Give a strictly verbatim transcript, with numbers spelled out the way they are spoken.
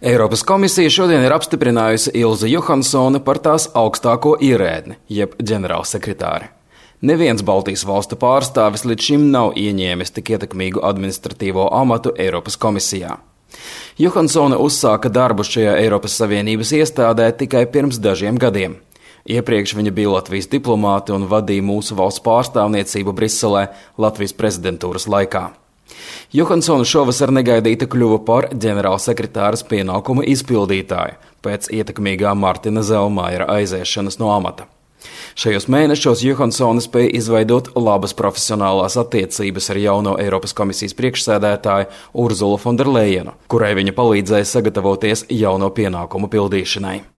Eiropas komisija šodien ir apstiprinājusi Ilzi Johansoni par tās augstāko ierēdni, jeb ģenerālsekretāri. Neviens Baltijas valstu pārstāvis līdz šim nav ieņēmis tik ietekmīgu administratīvo amatu Eiropas komisijā. Johansone uzsāka darbu šajā Eiropas Savienības iestādē tikai pirms dažiem gadiem. Iepriekš viņa bija Latvijas diplomāte un vadīja mūsu valsts pārstāvniecību Briselē Latvijas prezidentūras laikā. Johansone šovasar negaidīti kļuva par ģenerālsekretāras pienākumu izpildītāju pēc ietekmīgā Martina Zelmaiera aiziešanas no amata. Šajos mēnešos Johansone spēja izveidot labas profesionālās attiecības ar jauno Eiropas komisijas priekšsēdētāju Urzulu Fonderlejenu, kurai viņa palīdzēja sagatavoties jauno pienākumu pildīšanai.